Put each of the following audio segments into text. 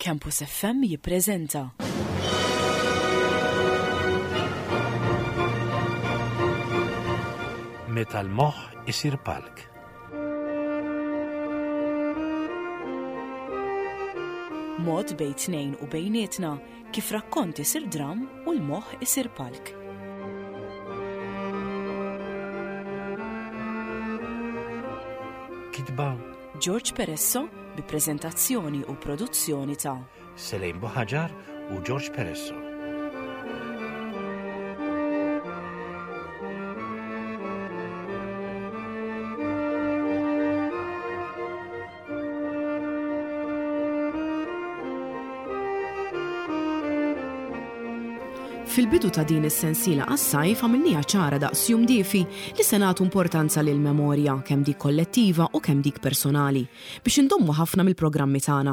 Campus FM jippreżenta. Meta l-moħħ isir palk. Mod bejn tnejn u bejnietna kif rakkont isir dramm u l-moħħ isir palk. Kitba George Peresso bi preżentazzjoni u produzzjoni ta' Selejn Buħaġar u George Peresso. Fil-bidu ta' din is-sensiela għas-sajf għamilniha ċara daqs jum diefi li se nagħtu importanza lill-memorja, kemm dik kollettiva u kemm dik personali, biex indommu ħafna mill-programmi tagħna.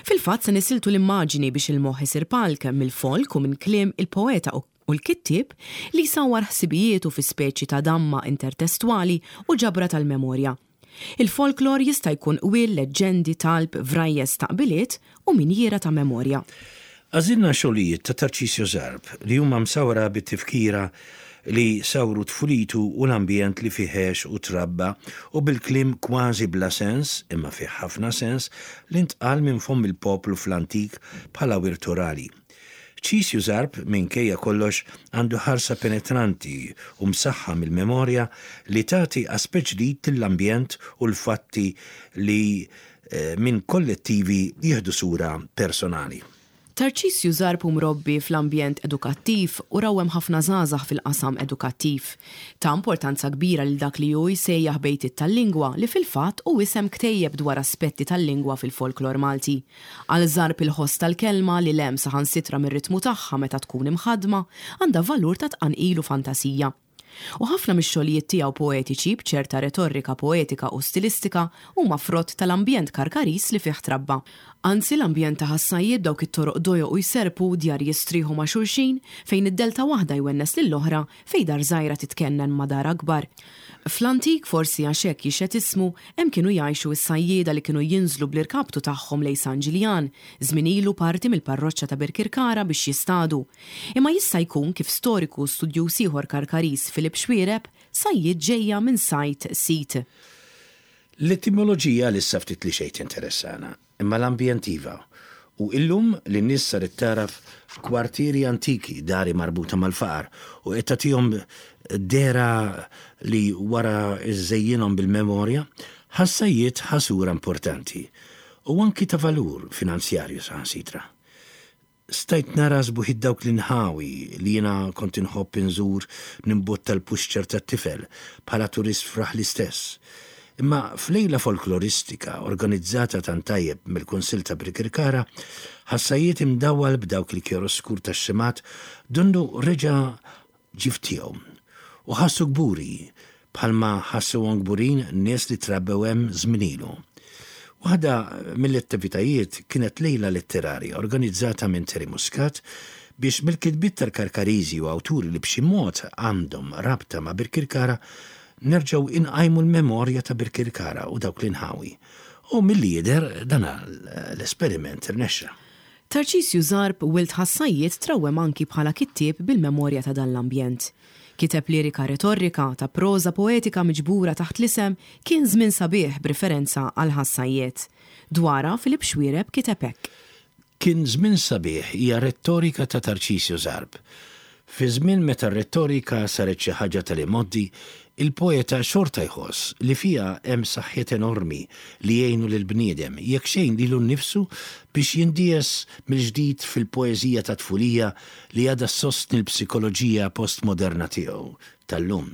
Fil-fatt se nisiltu l-immaġini biex il-moħħ isir palk mill-folk u minn kliem il-poeta u u l-kittieb li jsawwar ħsibijietu fi speċi ta' damma intertestwali u ġabra tal-memorja. Il-folklor jista' jkun qwiel, leġġendi, talb, vrajjes, taqbiliet u minjiera ta' memorja. Għażilna xogħlijiet ta' Tarcisio Zarb li huma msawra bit-tifkira li sawru tfulitu u l-ambjent li fih għex u trabba u bil-kliem kważi bla sens, imma fih ħafna sens, li ntqal minn fomm il-poplu fl-antik bħala wirt orali. Ċisju Zarb, minkejja kollox, għandu ħarsa penetranti u msaħħa mill-memorja li tagħti aspett ġdid lill-ambjent u l-fatti li minn kollettivi jieħdu sura personali. Tarċisju Zarb hu mrobbi fl-ambjent edukattiv u rawwem ħafna żgħażagħ fil-qasam edukattiv. Ta importanza kbira lil dak li hu jsejjaħ bejtiet tal-lingwa li fil-fatt hu isem ktejjeb dwar aspetti tal-lingwa fil-folklor Malti. Għal Zarb il-ħoss tal-kelma, li 'l hemm saħansitra mir-ritmu tagħha meta tkun imħaddma, għandha valur ta' tqanqil u fantasija. U ħafna mix-xogħlijiet tiegħu poetiċi, b'ċerta retorrika poetika u stilistika, huma frott tal-ambjent Karkariż li fih trabba. Anzi, l-ambjent ta' Ħas-Sajjied b'dawk it-toroq dojoq u jserrpu, djar jistrieħu ma' xulxin, fejn id-dell ta' waħda jwennes lill-oħra, fejn dar żgħira titkennen ma' dar akbar. Fl-antik, forsi għax hekk jixhed ismu, hemm kienu jgħixu s-sajjieda li kienu jinżlu bl-irkaptu tagħhom lejn San Ġiljan, żmien ilu parti mill-parroċċa ta' Birkirkara biex jistadu. Imma jista' jkun, kif storiku u studjuż ieħor Karkariż Philip Xuereb, sajjied ġejja minn sajd sit. L-etimoloġija għalissa ftit li xejn tinteressana. Imma l-ambjent iva. U illum li n-nies saret tagħraf kwartieri antiki, dari marbuta mal-faqar, u qed tagħtihom dehra li wara żżejjinhom bil-memorja, ħassajjiet ħa sura importanti. U anki ta' valur finanzjarju saħansitra. Stajt nara sbuħit dawk l-inħawi li jiena kont inħobb inżur nimbotta l-puxċer tat-tifel bħala turist f'raħli stess. Imma f'lejla folkloristika organizzata tant tajjeb mill-Kunsill ta' Birkirkara, ħassajiet imdawwal b'dawk il-kjaroskur tax-xemgħat donnu reġa' ġie f'tiegħu. U ħassu kburi, bħalma ħassuhom kburin nies li trabbew hemm żmien ilu. Waħda mill-attivitajiet kienet lejla letterarja organizzata minn Terry Muscat biex mill-kitbiet tal-Karkariżi u awturi li b'xi mod għandhom rabta ma' Birkirkara nerġgħu inqajmu l-memorja ta' Birkirkara u dawk l-inħawi. U milli jidher dan l-esperiment irnexxa. Tarċisju Zarb, wild Ħas-Sajjied trawwem anki bħala kittieb bil-memorja ta' dan l-ambjent. Kiteb lirika retorrika ta' proża poetika miġbura taħt l-isem Kien Żmien Sabiħ b'riferenza għal Ħas-Sajjied. Dwarha Philip Xuereb kiteb hekk. Kien Żmien Sabiħ hija rettorika ta' Tarċisju Zarb. Fi żmien meta r-rettorika saret xi ħaġa tal-imgħoddi, il-poeta xorta jħoss li fiha hemm saħħiet enormi li jgħinu lill-bniedem, jekk xejn lilu nnifsu, biex jindies mill-ġdid fil-poeżija tat-tfulija li għadha ssostni l-psikoloġija postmoderna tiegħu tal-lum.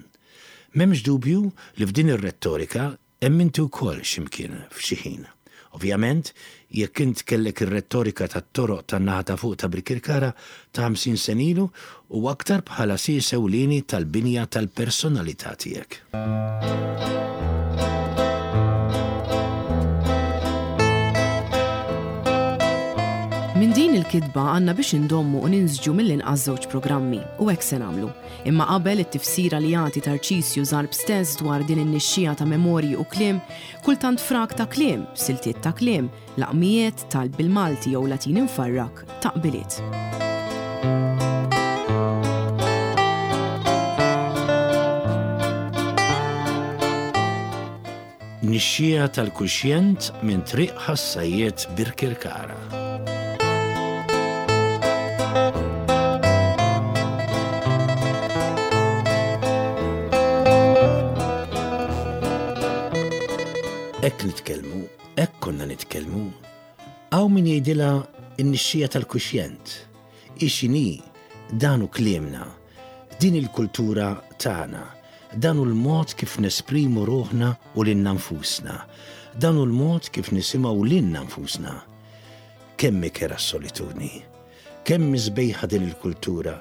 M'hemmx dubju li f'din ir-rettorika Hemm inti wkoll xi mkien, f'xi ħin. Ovvjament, jekk int kellek ir-rettorika tat-toroq tan-naħa ta' fuq ta' Birkirkara ta' 50 sena ilu u aktar bħala sies ewlieni tal-binja tal-personalità tiegħek. Minn din il-kitba għandna biex indommu u ninsġu mill-inqas żewġ programmi, u hekk se nagħmlu. Imma qabel it-tifsira li jagħti Tarċisju Zarb stess dwar din in-nixxiegħa ta' memorji u kliem, kultant frak ta' kliem, siltiet ta' kliem, laqmijiet, talb bil-Malti jew Latin imfarrak, taqbiliet. Nixxiegħa tal-kuxjent minn Triq Ħas-Sajjied Birkirkara. Hekk nitkellmu, hekk konna nitkellmu. Hawn min jgħidilha n-nixxiegħa tal-kuxjent. Hi x'inhi, dan hu kliemna. Din il-kultura tagħna. Dan hu l-mod kif nesprimu ruħna u lilna nfusna. Dan hu l-mod kif nisimgħu lilna nfusna. Kemm hi kerha s-solitudni! Kemm hi sbejħa din il-kultura!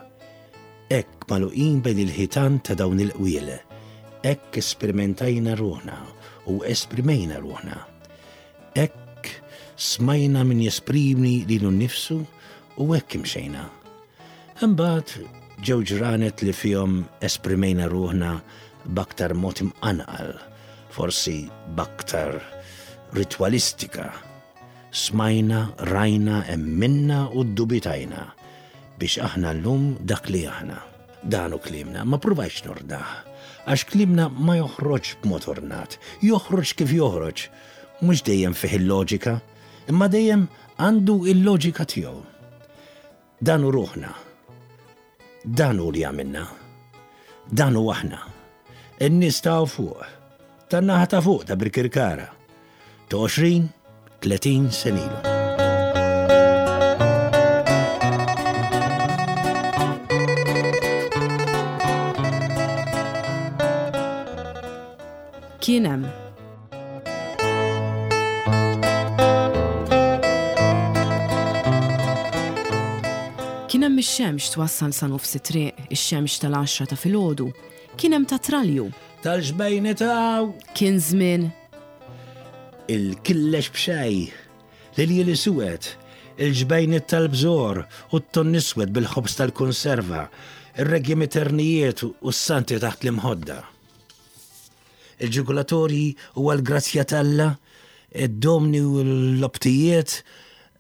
Hekk magħluqin bejn il-ħitan ta' dawn il-qwiel, hekk esperimentajna ruħna u esprimejna ruħna. Hekk smajna min jesprimi lilu nnifsu u hekk imxejna. Imbagħad ġew ġranet li fihom esprimejna ruħna b'aktar mod imqanqal, forsi b'aktar ritwalistika. Smajna, rajna, emminna u ddubitajna biex aħna llum dak li aħna. Dan hu kliemna, ma ppruvajtx nordnah, għax kliemna ma joħroġx b'mod ornat, joħroġ kif joħroġ. Mhux dejjem fih il-loġika, imma dejjem għandu il-loġika tiegħu. Dan hu ruħna. Dan hu li għamilna. Dan hu aħna. In-nies ta' fuq. Tan-naħa ta' fuq ta' Birkirkara. Ta' 20, 30 senilu. Kien hemm Kien hemm ix-xemx twassal sa nofs it-triq, ix-xemx tal-għaxra ta' filgħodu. Kien hemm ta' tralju. Tal-ġbejni taw! Kien żmien. Il-killex b'xej, l-iljieli suwed, il-ġbejniet tal-bżor u t-tonn iswed bil-ħobż tal-kunserva, ir-regji miternijiet u s-santi taħt l-imħodda. Il-ġugulatorji u għall-grazzja t'Alla, id-domni u l-lobtijiet,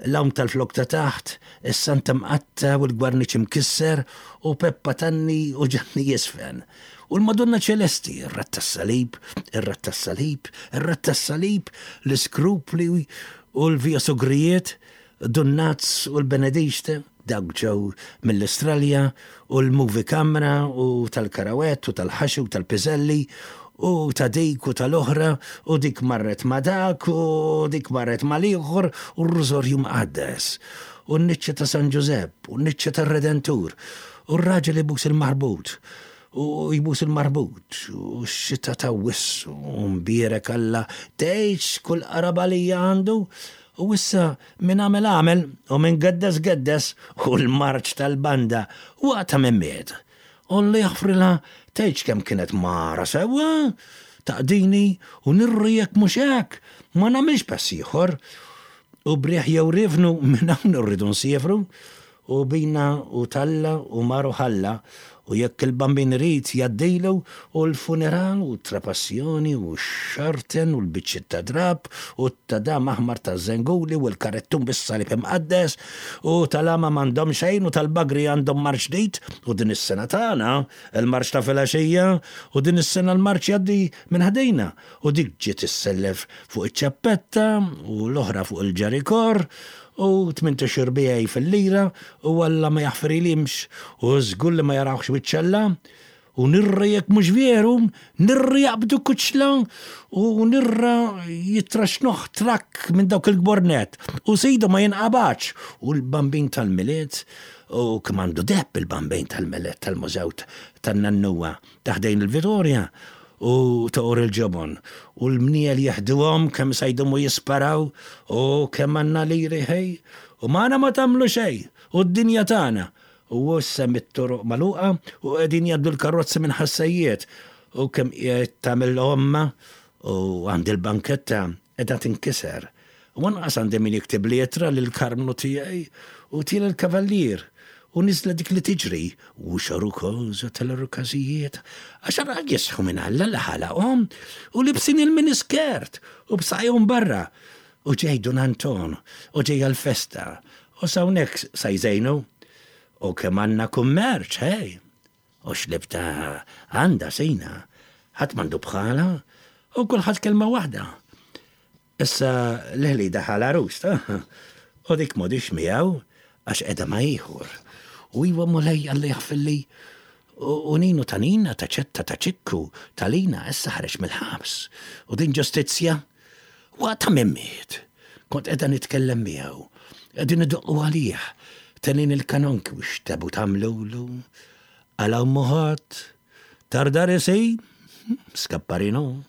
l-għawm tal-flok ta' taħt, is-Santa Mqatta u l-gwarniċ imkisser, u Peppa Tanni u Ġanni Jisfen. U l-Madonna Ċelesti, ir-Ratt tas-Salib, ir-Ratt tas-Salib, ir-Ratt tas-Salib, l-iskrupli u l-Via Sugrijiet, Dun Nazz u l-Benedixte. Dawk ġew mill-Istralja u l-movie camera u tal-karawett u tal-ħaxi u tal-piżelli u ta' dik u tal-oħra u dik marret ma' dak u dik marret mal-ieħor u r-Rużorju Mqaddes u n-niċċa ta' San Ġużepp u n-niċċa tar-Redentur u r-raġel ibus il-marbut u jbus il-marbut u x-xita ta' wissu u mbierek Alla tgħidx kull qarabalija għandu u issa Min għamel għamel u min geddes geddes u l-marċ tal-banda waqta' minn miet. U Alla jaħfrilha tgħidx kemm kienet mara sewwa, taqdini u nirri jekk mhux hekk ma nagħmilx pass ieħor. U b'riħ jew riefnu minn hawn irridu nsiefru U bina u t'Alla u mar u ħalla, u jekk il-Bambin irid jgħaddilu, u l-funeral u t-trapassjoni u x-xarten u l-biċċiet ta' drapp u t-tadam aħmar taż-żenguli u l-karettun bis-salib imqaddes u tal-għama m'għandhom xejn u tal-bagri għandhom marċ ġdid u din is-sena tagħna l-marċ ta' filgħaxija u din is-sena l-marċ jgħaddi minn ħdejna u dik ġiet issellef fuq iċ-ċappetta u l-oħra fuq il-ġarikor u tmintix irbiegħi fil-lira u Alla ma jaħfrilhimx u żgur li ma jarawhx wiċċ Alla u nirra jekk mhux veru, nirra jaqbdu kuċla u nirra jitraxnuh trakk minn dawk il-kbor nett u sidu ma jinqabadx u l-Bambin tal-Milied u kemm għandu deheb il-Bambin tal-Milied tal-Mużew tan-Nannuwa ta' ħdejn il-Vitorja u toqor il-ġobon u l-mniel jeħduhom kemm sa jdumu jisparaw u kemm għandna liri ħej u magħna ma tagħmlu xejn u d-dinja tagħna u issa mit-toroq magħluqa u qegħdin jgħaddu l-karozzi minn ħassejjiet u kemm qiegħed tagħmel omma u għand il-banketta qiegħda tinkiser. U anqas għandi min jiktibli ittra lil Karmnu tiegħi u tiela' l-kavallier u niżla dik li tiġri u xarukoża tal-arukażijiet għax ara jisħu minn Alla li ħalaqhom u libsin il-miniskirt u b'saqajhom barra u ġej Dun Anton u ġejja l-festa u s'hawnhekk sa jżejnu u kemm għandna kummerċ, ħej! U x'libta għandha Sina, ħadd m'għandu bħalha u kulħadd kelma waħda. Issa l-ħli daħal għarus ta' u dik m'għodix miegħu għax qiegħda ma' ieħor. U iwa Mulej Alla jaħfirli u Ninu ta' Nina ta' Ċetta ta' Ċikku ta' Lina issa ħareġ mill-ħabs. U din ġustizzja? Waqt ta' min miet. Kont qiegħda nitkellem miegħu. Qegħdin idoqqu għalih. Telgħin il-kanonki u x'tebu tagħmlulu. Għala ommu ħadd. Tardarisi? Skapparino.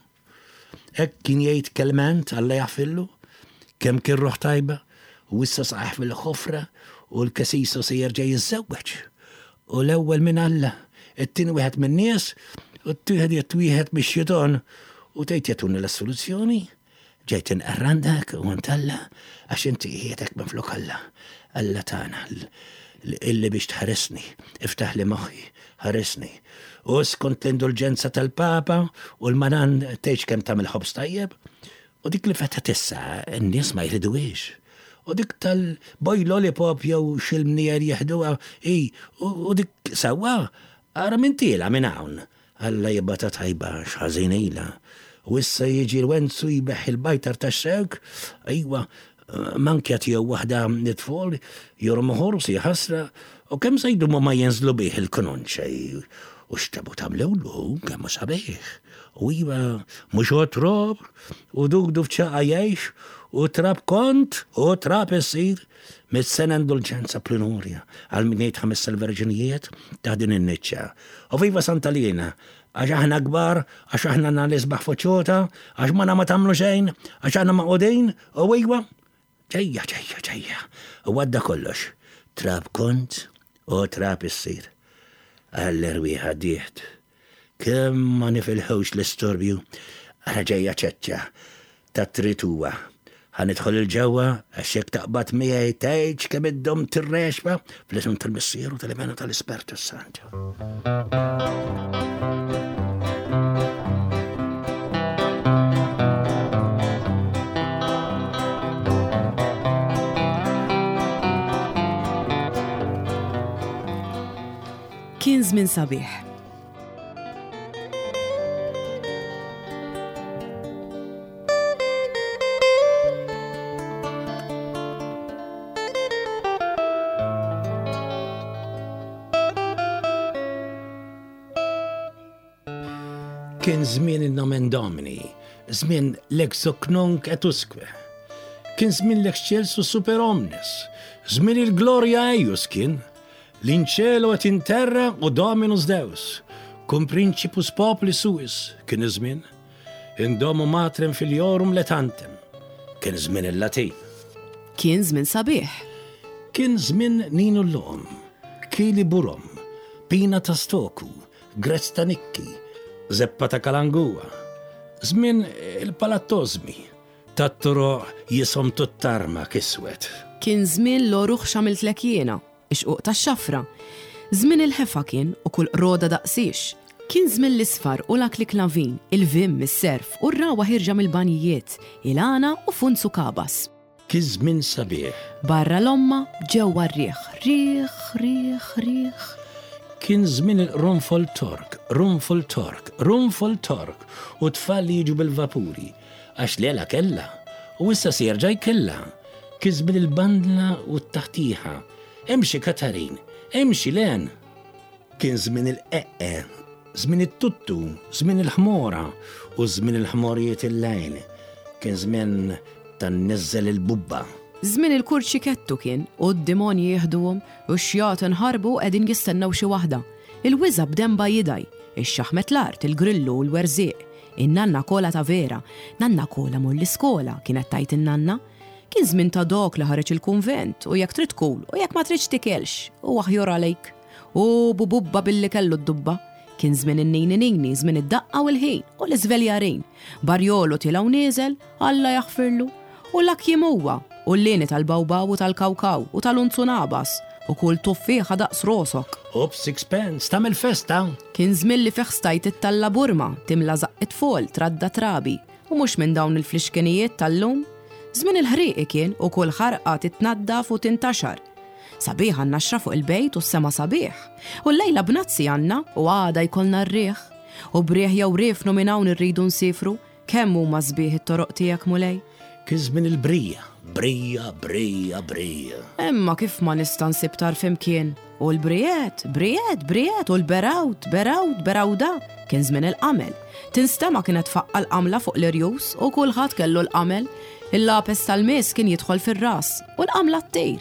Hekk kien jgħid Kelment, Alla jaħfirlu. Kemm kien ruħ tajba. U issa saqajh fil-ħofra u l-kesiso se jerġa' jiżżewweġ. U l-ewwel minn Alla, it-tieni wieħed min-nies, u t-tielet wieħed mix-xitan. U tgħid jagħtuni l-assoluzzjoni? Ġejt inqerr għandek u għand Alla, għax inti qiegħdek minflok Alla, Alla tagħna, illi biex tħarisni, iftaħli moħħi, ħarisni. U skont l-indulġenza tal-Papa u l-manan tgħidx kemm tagħmel ħobż tajjeb, u dik li fetħet issa n-nies ma jriduhiex. U dik tal-boy lollipop jew x'il-mniejer jieħduha hi, u dik sewwa, ara min tiela' minn hawn. Alla jibgħatha tajba għax ħażin ilha. U issa jiġi Lwenzu jbeħħ il-bajtar tax-xewk, ejwa, mankja tiegħu waħda nitfol, jormu ħors, jaħasra, u kemm se jdumu ma jinżlu bih il-kanonċe, u x'tabu tagħmlulu hu, kemm hu sabiħ. U iva, mhux għotrob, u dudu f'ċagħqa jgħix, u trab kont, u trab issir. Mit-sena indulġenza plenurja għal min jgħid ħamessa l-verġinijiet ta' din in-niċċa. U viva Santa Liena, għax aħna kbar, għax aħna għandna l-isbaħ faċċota, għax magħna ma tagħmlu xejn, għax aħna magħqudin, u iwa, ġejja, ġejja, ġejja. U għadda kollox. Trab kont u trab issir. Għall-erwieħ għaddiet. Kemm ma nifilħux l-istorbju, ara ġejja ċeċċa tat-trituwa. Ħa nidħol 'il ġewwa għax jekk taqbad miegħi tgħidx kemm iddum tirrexma fl-isem tal-Missier u tal-Iben u tal-Ispertu s-Santu. Kien żmien sabiħ. Kien żmien in-nomen Domini, żmien l-ex hoc nunc et usque. Kien żmien l-excelsus super omnes, żmien il-glorja eius kien, L-in cielo et in terra u Dominus Deus, cum principus populi suis, kien iż-żmien. In domo matrem filiorum letantem, kien żmien il-Latin. Kien żmien sabiħ. Kien żmien Ninu l-Loqom, Kili Burom, Pina ta' Stoku, Grezz ta' Nikki, Zeppa ta' Kalangua. Żmien il-Palattożmi, Tat-toroq jisom tut-tarmak iswed. Kien żmien l-għoruħ x'għamiltlek jiena, ix-xquq tax-xafra. Żmien il-ħefa kien u kull qroda daqsiex. Kien żmien l-isfar u l-akliklavin, il-vim, is-serf u r-ragħwa ħierġa mill-banjijiet, il-għana u funzu kabas. Kien żmien sabiħ. Barra l-omma, ġewwa r-riħ, riħ, riħ, riħ. Kien żmien il-qrunfol Tork, qrunfol Tork, qrunfol Tork u t-tfal li jiġu bil-vapuri. Għax lela kellha, u issa se jerġa' jkellha. Kien żmien il-bandla u t-taħtieħa. Imxi Katarin, imxi Len! Kien żmien il-qeqqe, żmien it-tuttu, żmien il-ħmora u żmien il-ħmorijiet il-lejl. Kien żmien ta' nniżżel il-bubba. Żmien il-kurċikettu kien, u d-dimonji jieħduhom, u x-xjaten ħarbu u qegħdin jistennew xi waħda. Il-wiża' b'denbha jidgħi, ix-xaħmet l-art, il-grillu u l-werżieq. In-nanna kola ta' vera. Nanna kola mur l-iskola, kienet tgħid in-nanna. Kien żmien ta' dok li ħareġ il-kunvent u jekk trid kul u jekk ma tridx tikelx, u aħjor għalejk. U bububba billi kellu d-dubba. Kien żmien in-nini nini, żmien id-daqqa u l-ħin u l-iżveljarin. Barjolu tiela' u nieżel, Alla jaħfirlu. U l-akjimuwa, u l-lieni tal-bawbaw u tal-kawkaw u tal-unzunabas, u kull tuffieħa daqs rosok. U b'sixpence tagħmel festa! Kien żmien li fih stajt ittalla' burma, timla żaqq it-tfol, tradda trabi, u mhux minn dawn il-flixkenijiet tal-lum. Żmien il-ħrieqi kien u kull ħarqa titnaddaf u tintaxar. Sabiħa n-naxra fuq il-bejt u s-sema sabiħ. U llejla bnazzi għandna u għada jkollna r-riħ. U b'riħ jew riefnu minn hawn irridu nsiefru. Kemm huma sbieħ it-toroq tiegħek, Mulej! Kien żmien il-brija, brija, brija, brija. Imma kif ma nista' nsib tarf imkien? U l-brijet, brijet, brijet, u l-berawt, berawt, berawda, kien żmien il-qamel. Tinstema' kienet tfaqqa' l-qamla fuq l-irjus u kulħadd kellu l-qamel. Il-lapes tal-miss kien jidħol fir-ras u l-qamla ttir.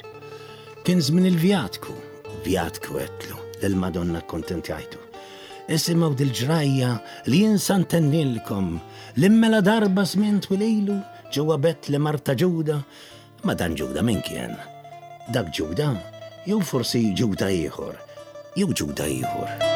Kien żmien il-vjatku, vjatku għedtlu, lill-Madonna kkontentjajtu. Isimgħu dil-ġrajja li jien sa ntennilkom, li mela darba żmien twil ilu, ġewwa Betlem art ta' Ġuda, imma dan Ġuda min kien? Dak Ġuda? Jew forsi Ġuda ieħor? Jew Ġuda ieħor?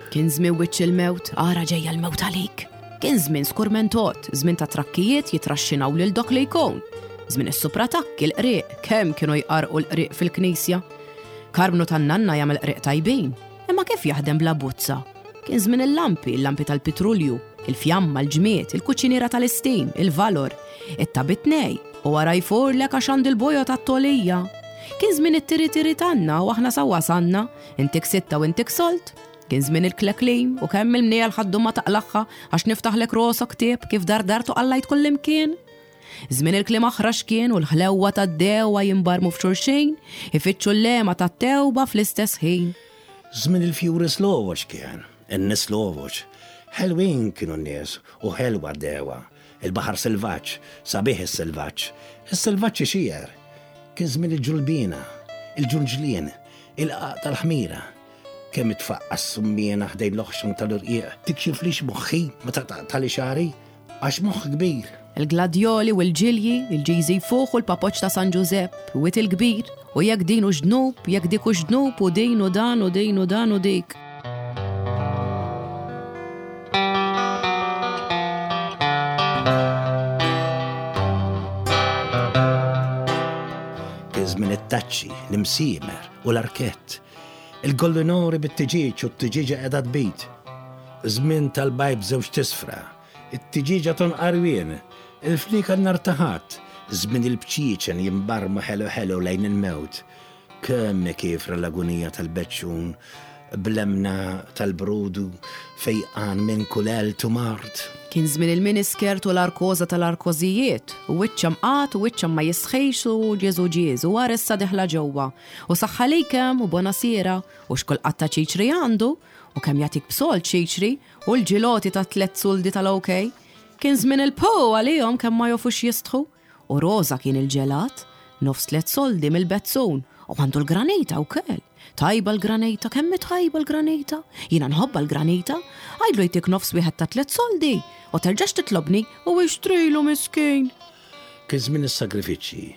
Kien żmien wiċċ il-mewt, ara ġejja l-mewt għalik. Kien żmien skurmentot, żmien ta' trakkijiet jitraxxinaw lil dok li jkun. Żmien is-supratakki, l-qrieq, kemm kienu jqarrqu l-qrieq fil-knisja. Karmnu tan-nanna jagħmel qrieq tajbin, imma kif jaħdem bla buzza? Kien żmien il-lampi, il-lampi tal-pitrulju, il-fjamma, l-ġmied, il-kuċiniera tal-istim, il-valor, it-tabitnej, u wara jfurlek għax għandi l-bojod għat-togħlija. Kien żmien it-tiri-tiri tanna u aħna sa wasalna, intik sitta u intik solt. Kien żmien il-kleklim u kemm il-mniegħel ħaddu ma taqlagħha għax niftaħlek rosok ktieb kif dardart u qallajt kullimkien. Żmien il-kliem aħrax kien u l-ħlewwa tad-dewwa jimbarmu f'xulxin, ifittxu l-lehma tat-tewba fl-istess ħin. Żmien il-fjuri slovoċ kien, in-nies slovoċ. Ħelwin kienu n-nies u ħelwa d-dewwa. Il-baħar selvaġġ, sabiħ is-selvaġġ. Is-selvaġġ ixierr. Kien żmien il-ġulbiena, il-ġulġlien, il-qagħaq tal-ħmira. Kemm itfaqqa' s-summiena ħdejn l-oħxon tal-irqiq, tikxiflix moħħi meta taqtagħli xagħri, għax moħħ kbir. Il-gladjoli u l-ġilji, il-ġiżi jfuħ u l-papoċċ ta' San Ġużepp, Wied il-Kbir, u jekk din hux dnub, jekk dik hux dnub u din u dan u din u dan u dik. Kien żmien it-taċċi, l-imsiemer u l-arkett. Il-gollinori bit-tiġieġ u t-tiġieġa qiegħda tbid. Żmien tal-bajd b'żewġt isfra. It-tiġieġa tonqar wien. Il-fnieka nhar ta' Ħadd. Żmien il-bċieċen jimbarmu ħelu ħelu lejn il-mewt. Kemm hi kiefra l-agunija tal-beċċun bl-emmna tal-brudu fejqan minn kull għelt u mard. Kien żmien il-miniskirt u l-arkoża tal-arkożijiet, u wiċċha mqagħad u wiċċha ma jistħix u Ġieżu ġież u ara issa dieħla ġewwa. U saħħa likem u bonasiera u x'kull qatta ċiċri għandu u kemm jagħtik b'sold ċiċri u l-ġiloti ta' tlett suldi tal-OK. Kien żmien il-poo għalihom kemm ma jofux jistħu. U roża kien il-ġelat, nofs tlett soldi mill-bezzun u għandu l-granita wkoll. Tajba l-granita, kemm hi tajba l-granita. Jiena nħobbha l-granita. Għidlu jtik nofs wieħed ta' tlett soldi u terġax titlobni u ixtrilu miskin. Kien żmien is-sagrifiċċji.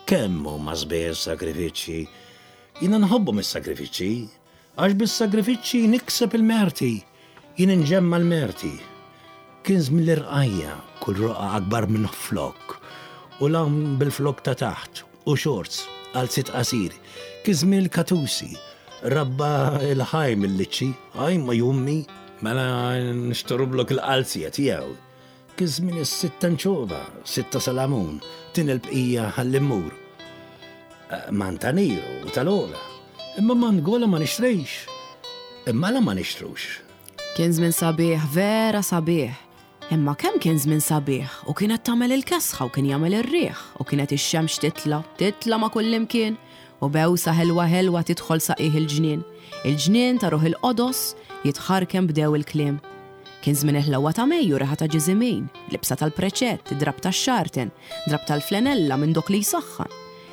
Kemm huma sbieħ is-sagrifiċċji! Jiena nħobbhom is-sagrifiċċji, għax bis-sagrifiċċji nikseb il-merti. Jien inġemma' l-merti. Kien żmien l-irqajja, kull roqgħa akbar minn flokk, u l-hawn bil-flokk ta' taħt, u shorts, qalziet qasir. Kien żmien il-katusi, rabba l-ħaj mill-liċċi, ajma jummi, mela nixtrublok il-qalzija tiegħu. Kien żmien is-sitta nċova, sitta salamun, tin il-bqija ħalli mmur. Eh, Mantaniru u tal-ola. Imma mangola ma nixtrix. Imma la ma nixtrux. Kien żmien sabiħ, vera sabiħ. Imma kemm kien żmien sabiħ u kienet tagħmel il-kesħa u kien jagħmel ir-riħ u kienet ix-xemx titla', titla' ma' kullimkien u bewsa ħelwa ħelwa tidħol sa qiegħ il-ġnien. Il-ġnien ta' ruħ il-qodos jitħarken bdew il-kliem. Kien żmien il-ħlewwa ta' Mejju, riħa ta' ġiżimin, libsa tal-preċett, drapp tax-xarten, drapp tal-flenella minn dok li jsaħħan.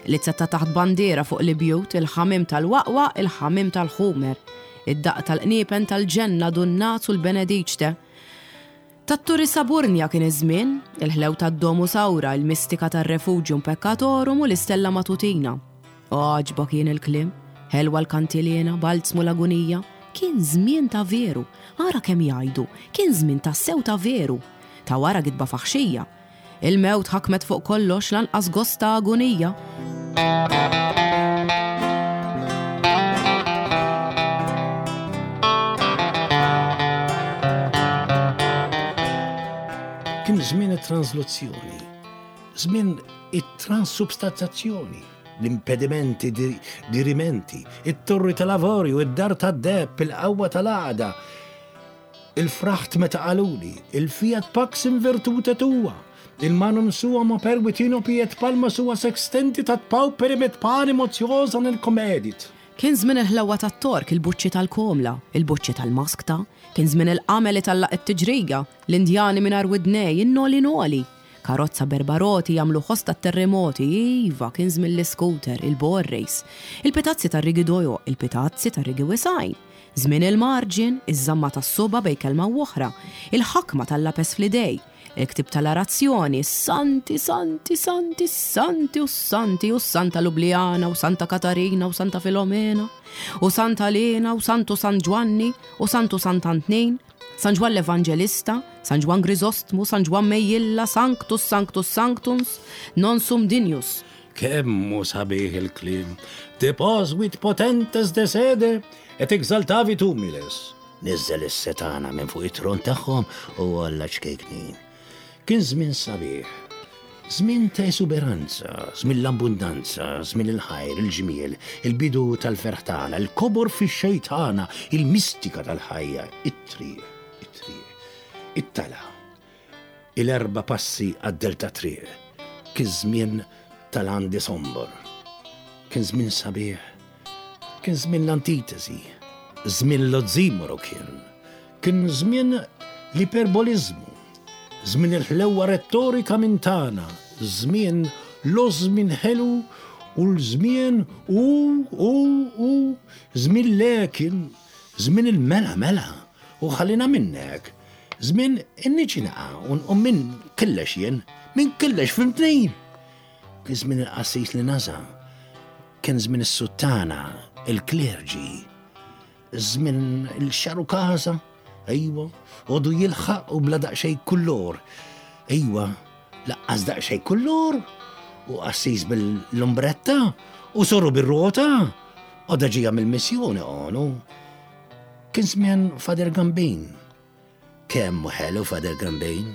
Lizza ta' taħt bandiera fuq l-ibjut, il-ħamiem tal-waqwaq, il-ħamiem tal-ħumer. Id-daqq tal-qniepen tal-ġenna, Dunnaz u l-Benediċte. Tat-Turi Saburnia kien iż-żmien, il-ħlew tad-Domus Aura, il-mistika tar-Refugium Peccatorum u l-istella matutina. Għaġba kien il-kliem. Ħelwa l-kantiliena, balzmu l-agunija. Kien żmien ta' veru, ara kemm jgħidu, kien żmien tassew ta' veru. Ta' wara gidba faħxija. Il-mewt ħakmet fuq kollox lanqas gost ta' agunija. Kien żmien it-transluzzjoni, żmien it-transubstanzjazzjoni, l-impedimenti dirimenti, it-torri tal-avorju, id-dar tad-deheb, il-qawwa tal-għaqda, Il-fraħt meta qaluli, il-fiat pax in virtute tua, il manum suam operuit inopi et palma sua sextendit ad pauperim et panem otiosa nel comedit. Kien żmien il-ħlewwa tat-Tork, il-buċċi tal-komla, il-buċċi tal-maskta, kien żmien il-qamel itallaq it-tiġrija, l-Indjani mingħajr widnej, in-noli noli. Karozza b'erba' roti jagħmlu ħoss tat-terremoti, iva, kien żmien l-iscooter, il-borrace, il-pitazzi tar-rigi dojoq, il-pitazzi tar-rigi wisgħin. Żmien il-marġin, iż-żamma tas-subgħa bejn kelma u oħra, il-ħakma tal-lapes fl-idej, il-ktieb tal-arazzjoni, is-santi, santi, santi, s-santi u s-santi u s-Santa Lublijana u Santa Katarina u Santa Filomena u Santa Lena u Santu San Ġwanni u Santu Sant'Antnin, San Ġwann l-Evanġelista, San Ġwann Griżostmu, San Ġwann Mejjilla, Sanctus, Sanctus, Sanctums, non sum dignus. Kemm hu sabiħ il-kliem, Deposuit potentes de sede et exaltavit humiles. Niżżel is-setgħana minn fuq it-tron tagħhom u għolla ċkejknin. Kien żmien sabiħ. Żmien ta' esuberanza, żmien l-abbundanza, żmien il-ħajr, il-ġmiel, il-bidu tal-ferħ tagħna, il-kobor fix-xejn tagħna, il-mistika tal-ħajja, it-triq, it-triq, it-telgħa. Il-erba' passi għad-dell tat-triq. Kien żmien tal-għandi sombor. Kien żmien sabiħ. Kien żmien l-antitesi. Żmien l-ozzimoro kien. Kien żmien l-iperboliżmu. Żmien il-ħlewwa rettorika minn tagħna. Żmien l-ożmin ħelu u l-żmien u, u, u, żmien lekin, żmien il-mela mela u ħallina minnek. Żmien inniġi naqa' u nqum minn killex jien, minn killex fimtni! Kien żmien il-qassis li naża', kien żmien is-suttana, il-klerġi, żmien il-xarukaża, ejwa, għodu jilħaq u bla daqsxejn kullor. Ejwa, laqqas daqsxejn kullor u qassis bil-lumbretta u soru bir-rota, għoda ġija mill-missjoni għonu. Kien żmien Father Gambin. Kemm hu ħelu Father Gambin.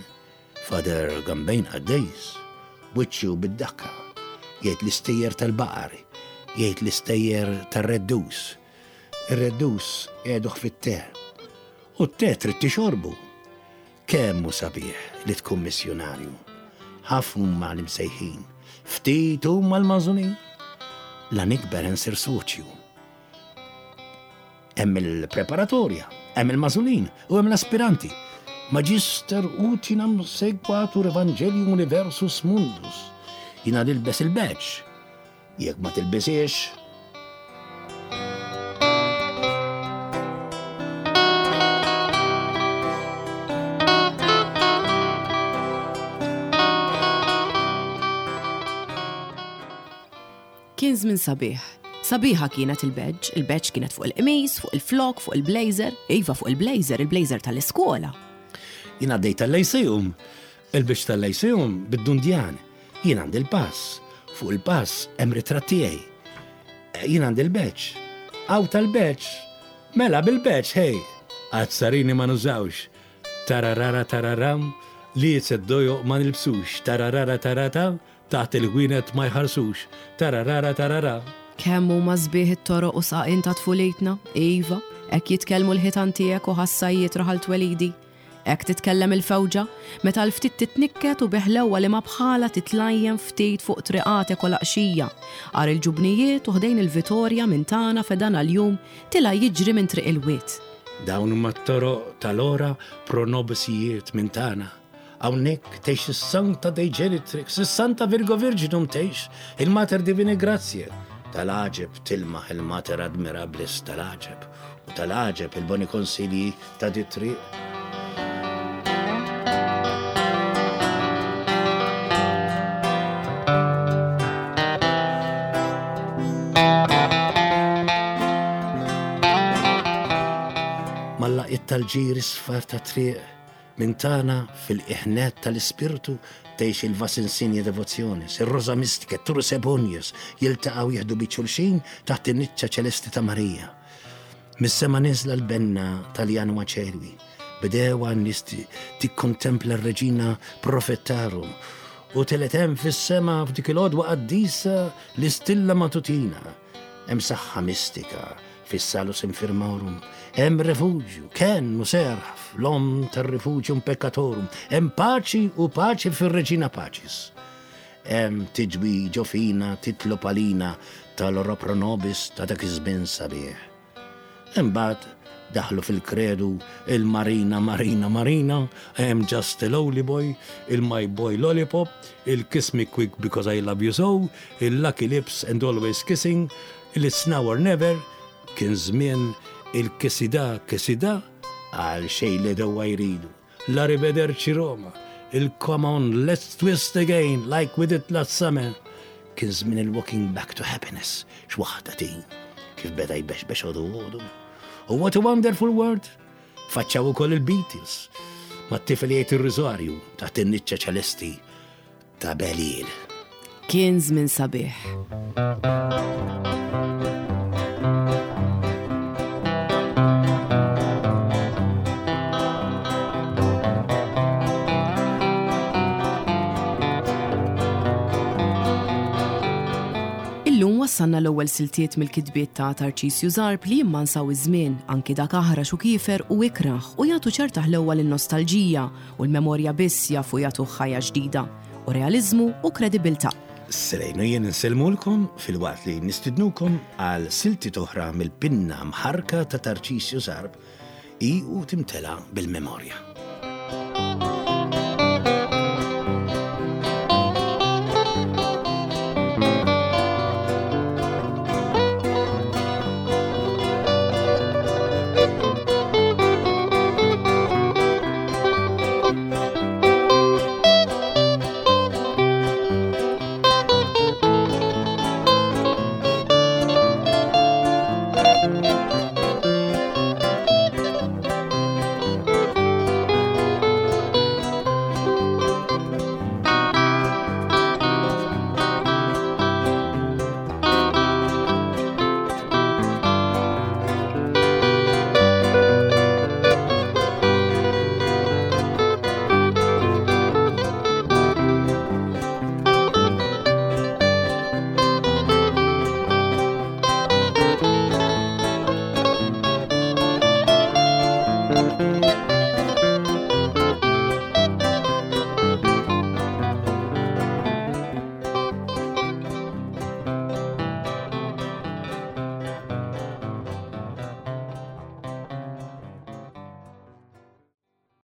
Father Gambin qaddis. Wiċċu bid-dakka. Jgħid l-istejjer tal-baqar. Jgħid l-istejjer tar-reddus. Ir-reddus qiegħduh fit-te. U t-te trid tixorbu. Kemm hu sabiħ li tkun missjunarju. Ħafna huma l-imsejħin. Ftit huma l-magħżulin. La nikber insir soċju. Hemm il-preparatorja, hemm il-magħżulin u hemm l-aspiranti. Magister utinam sequatur evangelium universus mundus. Jina nilbes il-badge. Jekk ma tilbisiex, Kien żmien sabiħ. Sabiħa kienet il-badge, il-badge kienet fuq il-qmis, fuq il-flok, fuq il-blazer, iva fuq il-blazer, il-blazer tal-iskola. Jien għaddejt tal-Lyceum, il-badge tal-Lyceum bid-dundjan. Jien għandi l-pass, fuq il-pass hemm ritratt tiegħi. Jien għandi l-badge. Hawn tal-badge. Mela bil-badge, hey! Azzarini ma nużawx. Tararara tararam, liecet dojoq ma nilbsux. Tararara tarata, Taħt il-ħwienet ma jħarsux, tararara tarara. Kemm huma sbieħ it-toroq u sqaqien ta' tfulitna, iva, hekk jitkellmu l-ħitan tiegħek u ħassajjiet raħal twelidi. Hekk titkellem il-fewġa, meta l-ftit titnikket u bi ħlewwa li ma bħalha titlajjem ftit fuq triqatek u laqxija, għar il-ġubnijiet u ħdejn il-Vitorja minn tagħna fedana l-jum tilgħa jiġri minn triq il-wied. Dawn huma t-toroq tal-ora pro nobisijiet minn tagħna. Hawnhekk tgħix is-Sancta Dei Genitrix, is-Santa Virgo Virginum tgħix, il-Mater Divinae Gratiae. Tal-għaġeb tilmaħ il-Mater Admirabilis tal-għaġeb, u tal-għaġeb il-boni konsilji ta' dit-triq. Daqq tal-ġir isfar tat-triq minn tagħna fil-qiegħ nett tal-ispirtu tgħix il-Vas Insigne Devotionis, ir-Rosa Mystica, Turris Ebonius jiltaqgħu jieħdu b'id xulxin taħt in-niċċa ċelesti ta' Marija. Mis-sema nieżla l-benna tal-Janua Coeli. Bdewha n-nies tikkontempla r-Reġina Profettarum u telgħet hemm fis-sema f'dik il-għodwa qaddisa l-istilla matutina. Hemm saħħa mistika fis-Salus Infirmorum, hemm refuġju, kenn u serħ fl-Omm tar-Refugium Peccatorum, hemm paċi u paċi fir-Reġina Pacis. Hemm tiġwi ġo fina titlob għalina tal-Ora Pro Nobis ta' dak iż-żmien sabiħ. Imbagħad daħlu fil-kredu il-Marina Marina Marina, I am just a lowly boy, il-My Boy Lollipop, il-Kiss me quick because I love you so, il-Lucky Lips and always kissing, il-It's now or never, kien żmien il-Kisida Kisida, għal xejn l-għedewwa jridu. L-Arrivederci Roma, il-Come on let's twist again like we did last summer. Kien żmien il-Walking back to happiness, x'waħda din, kif beda jbexbex għodu għodu. U what a wonderful world! Faċċaw ukoll il-Beatles, mat-tifel jgħid ir-riżarju taħt in-niċċa ċelesti ta' Beliel. Kien żmien sabiħ. Illum wassalna l-ewwel siltiet mill-kitbiet ta' Tarċisju Zarb li jimmansaw iż-żmien, anki dak aħrax u kiefer u ikrah u jagħtu ċerta ħlewwa lin-nostalġija u l-memorja biss jafu jagħtuh ħajja ġdida, u realiżmu u kredibilità. Selejn u jien insellmulkom filwaqt li nistidnukom għal siltiet oħra mill-pinna mħarrka ta' Tarċisju Zarb hi u timtela bil-memorja.